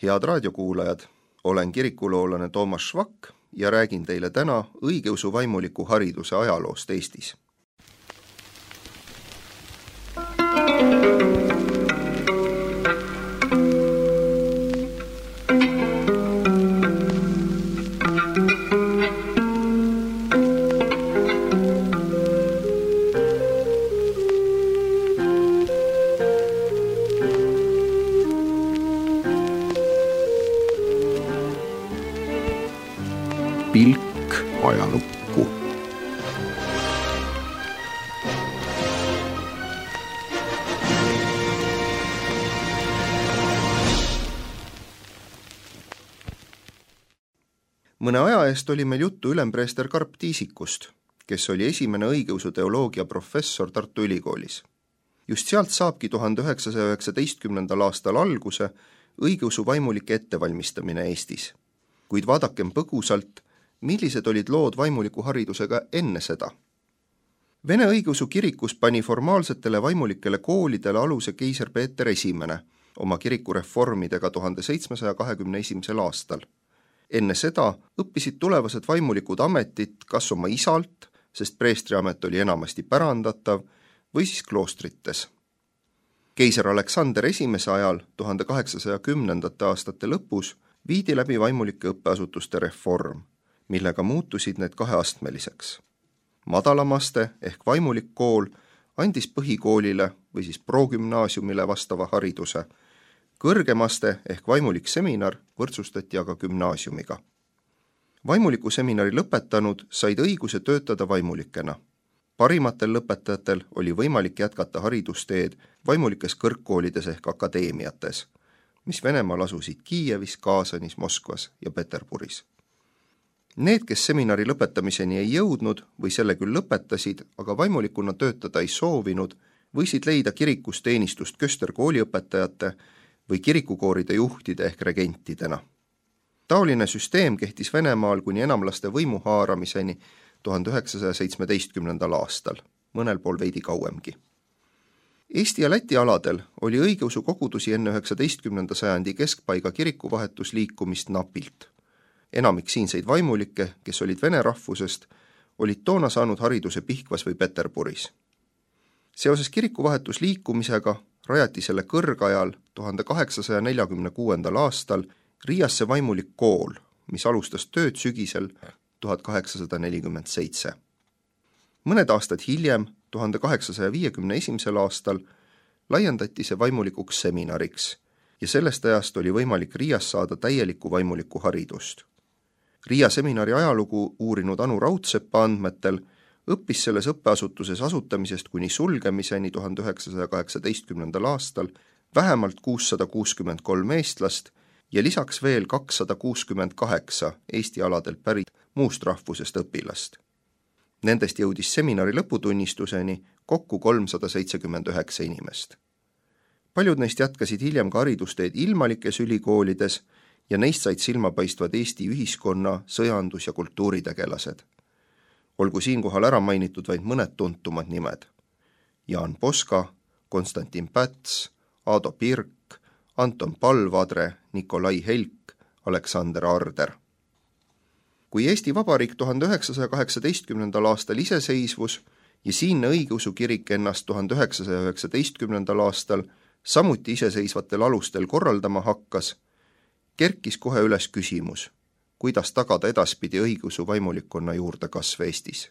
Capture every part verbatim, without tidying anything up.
Head raadiokuulajad, olen kirikuloolane Toomas Švak ja räägin teile täna õigeusu vaimuliku hariduse ajaloost Eestis. Pilk ajalukku. Mõne aja eest oli meil juttu ülempreester Karp Tiisikust, kes oli esimene õigeusu teoloogia professor Tartu Ülikoolis. Just sealt saabki tuhande üheksasaja üheksateistkümnendal aastal alguse õigeusu vaimulike ettevalmistamine Eestis. Kuid vaadakem põgusalt, millised olid lood vaimuliku haridusega enne seda. Vene õigeusu kirikus pani formaalsetele vaimulikele koolidele aluse keiser Peeter Esimene oma kirikureformidega tuhande seitsmesaja kahekümne esimesel aastal. Enne seda õppisid tulevased vaimulikud ametit kas oma isalt, sest preestriamet oli enamasti pärandatav, või siis kloostrites. Keiser Aleksander Esimese ajal tuhande kaheksasaja kümnendate aastate lõpus viidi läbi vaimulike õppeasutuste reform, millega muutusid need kaheastmeliseks. Madalamaste ehk vaimulik kool andis põhikoolile või siis progümnaasiumile vastava hariduse. Kõrgemaste ehk vaimulik seminar võrdsustati aga gümnaasiumiga. Vaimuliku seminari lõpetanud said õiguse töötada vaimulikena. Parimatel lõpetajatel oli võimalik jätkata haridusteed vaimulikes kõrgkoolides ehk akadeemiates, mis Venemaal asusid Kiievis, Kaasanis, Moskvas ja Peterburis. Need, kes seminari lõpetamiseni ei jõudnud või selle küll lõpetasid, aga vaimulikuna töötada ei soovinud, võisid leida kirikus teenistust kösterkooliõpetajate või kirikukooride juhtide ehk regentidena. Taoline süsteem kehtis Venemaal kuni enamlaste võimu haaramiseni tuhande üheksasaja seitsmeteistkümnendal aastal, mõnel pool veidi kauemgi. Eesti ja Läti aladel oli õigeusu kogudusi enne üheksateistkümnenda sajandi keskpaiga kirikuvahetusliikumist napilt. Enamik siinseid vaimulikke, kes olid vene rahvusest, olid toona saanud hariduse Pihkvas või Peterburis. Seoses kirikuvahetusliikumisega rajati selle kõrgajal tuhande kaheksasaja neljakümne kuuendal aastal Riiasse vaimulik kool, mis alustas tööd sügisel tuhat kaheksasada nelikümmend seitse. Mõned aastad hiljem, tuhande kaheksasaja viiekümne esimesel aastal, laiendati see vaimulikuks seminariks ja sellest ajast oli võimalik Riias saada täielikku vaimulikku haridust. Riia seminari ajalugu uurinud Anu Raudsepa andmetel õppis selles õppeasutuses asutamisest kuni sulgemiseni tuhande üheksasaja kaheksateistkümnendal aastal vähemalt kuussada kuuskümmend kolm eestlast ja lisaks veel kakssada kuuskümmend kaheksa Eesti aladel pärit muust rahvusest õpilast. Nendest jõudis seminari lõputunnistuseni kokku kolmsada seitsekümmend üheksa inimest. Paljud neist jätkasid hiljem ka haridusteed ilmalikes ülikoolides ja neist said silmapaistvad Eesti ühiskonna, sõjandus- ja kultuuritegelased. Olgu siinkohal ära mainitud vaid mõned tuntumad nimed. Jaan Poska, Konstantin Päts, Aado Pirk, Anton Palvadre, Nikolai Helk, Aleksander Arder. Kui Eesti Vabariik tuhande üheksasaja kaheksateistkümnendal aastal iseseisvus ja siinne õigeusu kirik ennast tuhande üheksasaja üheksateistkümnendal aastal samuti iseseisvatel alustel korraldama hakkas, kerkis kohe üles küsimus, kuidas tagada edaspidi õigeusu vaimulikkonna juurde kasv Eestis.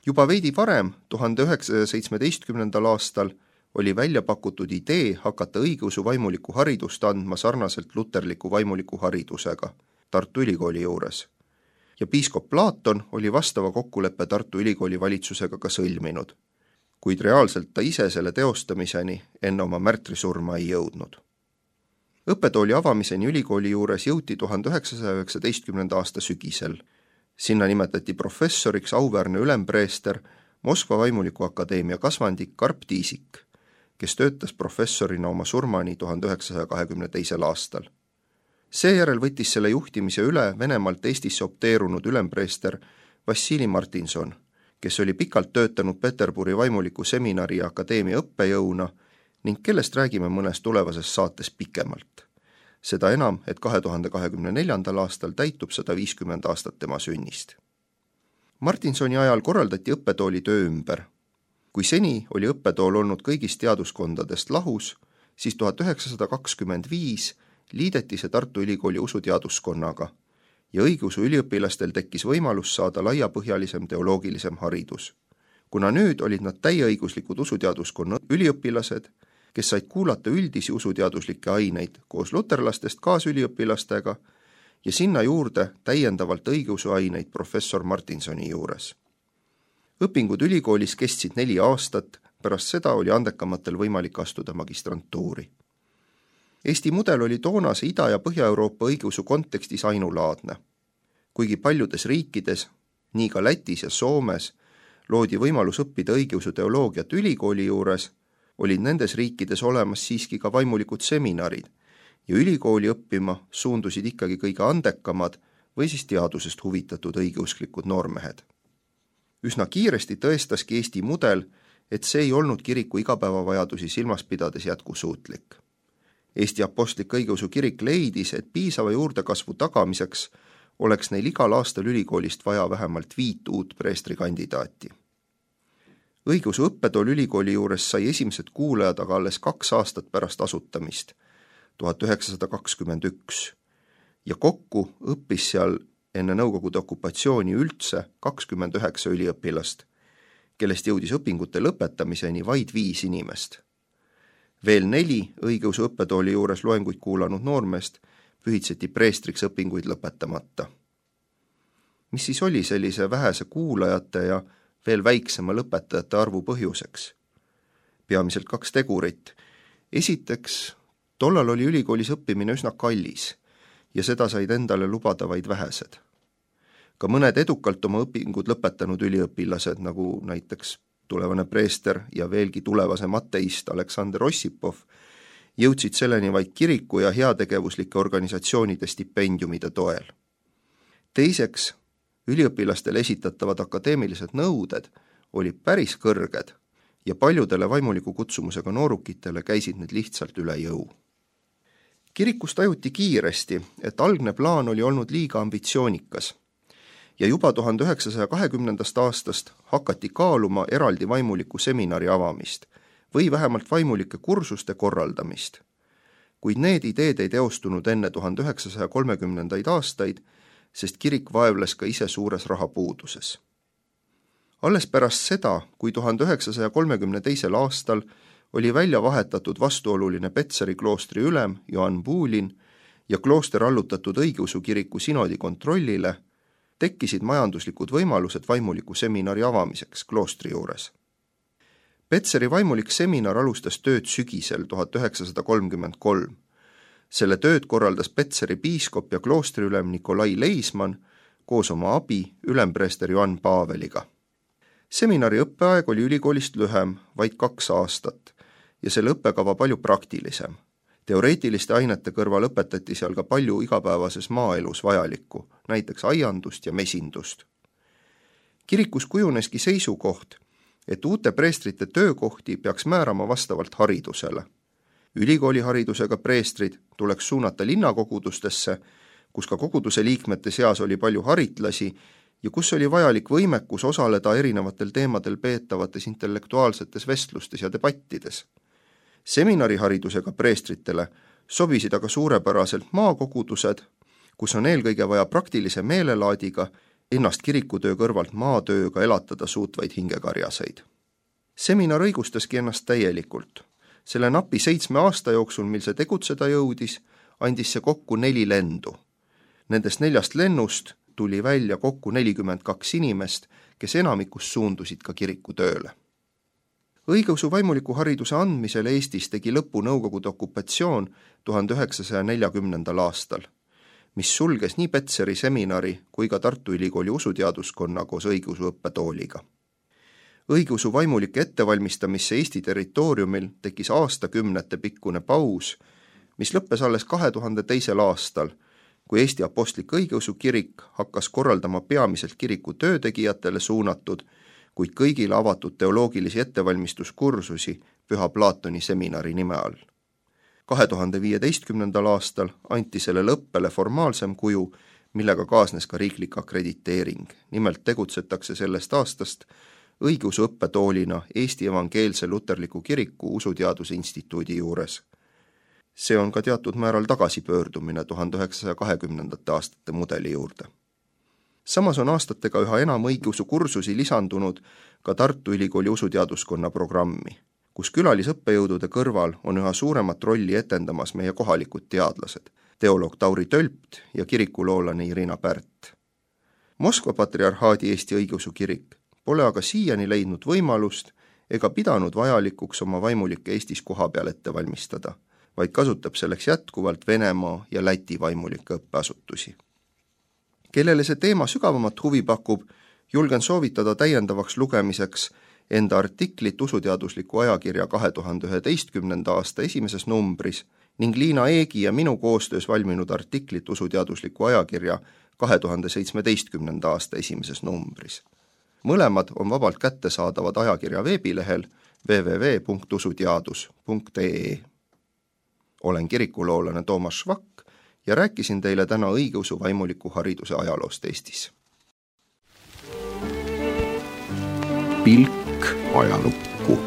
Juba veidi varem, tuhande üheksasaja seitsmeteistkümnendal aastal, oli välja pakutud idee hakata õigeusu vaimuliku haridust andma sarnaselt luterliku vaimuliku haridusega Tartu Ülikooli juures. Ja piiskop Platon oli vastava kokkuleppe Tartu Ülikooli valitsusega ka sõlminud, kuid reaalselt ta ise selle teostamiseni enne oma märtrisurma ei jõudnud. Õppetooli avamiseni ülikooli juures jõuti tuhande üheksasaja üheksateistkümnenda aasta sügisel. Sinna nimetati professoriks auväärne ülempreester Moskva vaimuliku akadeemia kasvandik Karp Tiisik, kes töötas professorina oma surmani tuhande üheksasaja kahekümne teisel aastal. Seejärel võttis selle juhtimise üle Venemaalt Eestisse opteerunud ülempreester Vassili Martinson, kes oli pikalt töötanud Peterburi vaimuliku seminari ja akadeemia õppejõuna ning kellest räägime mõnes tulevases saates pikemalt. seda enam, et kahe tuhande kahekümne neljandal aastal täitub sada viiskümmend aastat tema sünnist. Martinsoni ajal korraldati õppetooli töö ümber. Kui seni oli õppetool olnud kõigist teaduskondadest lahus, siis tuhat üheksasada kakskümmend viis liideti see Tartu Ülikooli usuteaduskonnaga ja õigeusu üliõpilastel tekkis võimalus saada laiapõhjalisem teoloogilisem haridus. Kuna nüüd olid nad täieõiguslikud usuteaduskonna üliõpilased, kes said kuulata üldisi usuteaduslikke aineid koos luterlastest kaasüliõpilastega ja sinna juurde täiendavalt õigeusu aineid professor Martinsoni juures. Õpingud ülikoolis kestsid neli aastat, pärast seda oli andekamatel võimalik astuda magistrantuuri. Eesti mudel oli toonase Ida- ja Põhja-Euroopa õigeusu kontekstis ainulaadne. Kuigi paljudes riikides, nii ka Lätis ja Soomes, loodi võimalus õppida õigeusu teoloogiat ülikooli juures, olid nendes riikides olemas siiski ka vaimulikud seminarid ja ülikooli õppima suundusid ikkagi kõige andekamad või siis teadusest huvitatud õigeusklikud noormehed. Üsna kiiresti tõestaski Eesti mudel, et see ei olnud kiriku igapäevavajadusi silmas pidades jätkusuutlik. Eesti Apostlik Õigeusu Kirik leidis, et piisava juurdekasvu tagamiseks oleks neil igal aastal ülikoolist vaja vähemalt viit uut preestrikandidaati. Õigeusu õppetool ülikooli juures sai esimesed kuulajad aga alles kaks aastat pärast asutamist, tuhat üheksasada kakskümmend üks, ja kokku õppis seal enne Nõukogude okupatsiooni üldse kakskümmend üheksa üliõpilast, kellest jõudis õpingute lõpetamiseni vaid viis inimest. Veel neli õigeusu õppetooli juures loenguid kuulanud noormeest pühitseti preestriks õpinguid lõpetamata. Mis siis oli sellise vähese kuulajate ja veel väiksema lõpetajate arvu põhjuseks? Peamiselt kaks tegurit. Esiteks, tollal oli ülikoolis õppimine üsna kallis ja seda said endale lubada vaid vähesed. Ka mõned edukalt oma õpingud lõpetanud üliõpilased, nagu näiteks tulevane preester ja veelgi tulevasem ateist Aleksander Ossipov, jõudsid selleni vaid kiriku ja heategevuslike organisatsioonide stipendiumide toel. Teiseks, üliõpilastele esitatavad akadeemilised nõuded olid päris kõrged ja paljudele vaimuliku kutsumusega noorukitele käisid need lihtsalt üle jõu. Kirikus tajuti kiiresti, et algne plaan oli olnud liiga ambitsioonikas ja juba tuhande üheksasaja kahekümnendast aastast hakati kaaluma eraldi vaimuliku seminari avamist või vähemalt vaimulike kursuste korraldamist. Kuid need ideed ei teostunud enne tuhande üheksasaja kolmekümnendaid aastaid, sest kirik vaevles ka ise suures rahapuuduses. Alles pärast seda, kui tuhande üheksasaja kolmekümne teisel aastal oli välja vahetatud vastuoluline Petseri kloostri ülem Johann Buulin ja klooster allutatud õigeusu kiriku sinodi kontrollile, tekkisid majanduslikud võimalused vaimuliku seminari avamiseks kloostri juures. Petseri vaimulik seminar alustas tööd sügisel tuhat üheksasada kolmkümmend kolm. Selle tööd korraldas Petseri piiskop ja kloostriülem Nikolai Leisman koos oma abi ülempreester Johann Paveliga. Seminari õppeaeg oli ülikoolist lühem, vaid kaks aastat, ja selle õppekava palju praktilisem. Teoreetiliste ainete kõrval õpetati seal ka palju igapäevases maaelus vajalikku, näiteks aiandust ja mesindust. Kirikus kujuneski seisukoht, et uute preestrite töökohti peaks määrama vastavalt haridusele. Ülikooliharidusega preestrid tuleks suunata linnakogudustesse, kus ka koguduse liikmete seas oli palju haritlasi ja kus oli vajalik võimekus osaleda erinevatel teemadel peetavates intellektuaalsetes vestlustes ja debattides. Seminariharidusega preestritele sobisid aga suurepäraselt maakogudused, kus on eelkõige vaja praktilise meelelaadiga ennast kirikutöö kõrvalt maatööga elatada suutvaid hingekarjaseid. Seminar õigustaski ennast täielikult. Selle napi seitsme aasta jooksul, mil see tegutseda jõudis, andis see kokku neli lendu. Nendest neljast lennust tuli välja kokku nelikümmend kaks inimest, kes enamikus suundusid ka kirikutööle. Õigeusu vaimuliku hariduse andmisel Eestis tegi lõpu Nõukogude okupatsioon tuhande üheksasaja neljakümnendal aastal, mis sulges nii Petseri seminari kui ka Tartu Ülikooli usuteaduskonna koos õigeusu õppetooliga. Õigeusu vaimulike ettevalmistamisse Eesti territooriumil tekkis aastakümnete pikkune paus, mis lõppes alles kahe tuhande teisel aastal, kui Eesti Apostlik Õigeusu Kirik hakkas korraldama peamiselt kiriku töötegijatele suunatud, kuid kõigile avatud teoloogilisi ettevalmistuskursusi Püha Plaatoni seminari nime all. kahe tuhande viieteistkümnendal aastal anti sellele õppele formaalsem kuju, millega kaasnes ka riiklik akrediteering. Nimelt tegutsetakse sellest aastast õigeusu õppetoolina Eesti Evangeelse Luterliku Kiriku Usuteaduse Instituudi juures. See on ka teatud määral tagasipöördumine tuhande üheksasaja kahekümnendate aastate mudeli juurde. Samas on aastatega üha enam õigeusu kursusi lisandunud ka Tartu Ülikooli usuteaduskonna programmi, kus külalisõppejõudude kõrval on üha suuremat rolli etendamas meie kohalikud teadlased, teoloog Tauri Tölpt ja kirikuloolane Irina Pärt. Moskva patriarhaadi Eesti õigeusu kirik pole aga siiani leidnud võimalust ega pidanud vajalikuks oma vaimulikke Eestis kohapeal ette valmistada, vaid kasutab selleks jätkuvalt Venemaa ja Läti vaimulike õppeasutusi. Kellele see teema sügavamat huvi pakub, julgen soovitada täiendavaks lugemiseks enda artiklit usuteadusliku ajakirja kahe tuhande üheteistkümnenda aasta esimeses numbris ning Liina Eegi ja minu koostöös valminud artiklit usuteadusliku ajakirja kahe tuhande seitsmeteistkümnenda aasta esimeses numbris. Mõlemad on vabalt kättesaadavad ajakirja veebilehel w w w punkt usuteadus punkt e e. Olen kirikuloolane Toomas Švak ja rääkisin teile täna õigeusu vaimuliku hariduse ajaloost Eestis. Pilk ajalukku.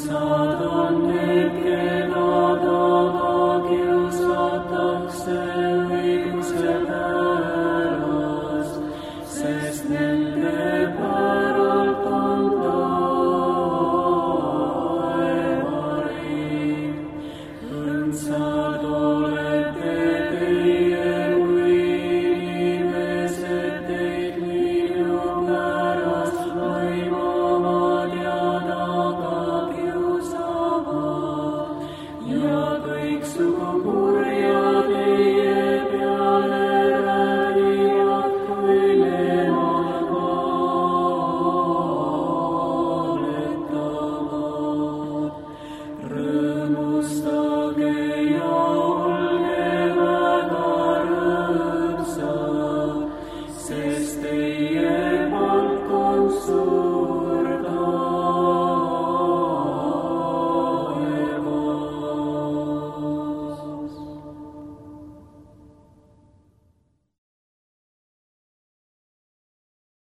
Saad on need,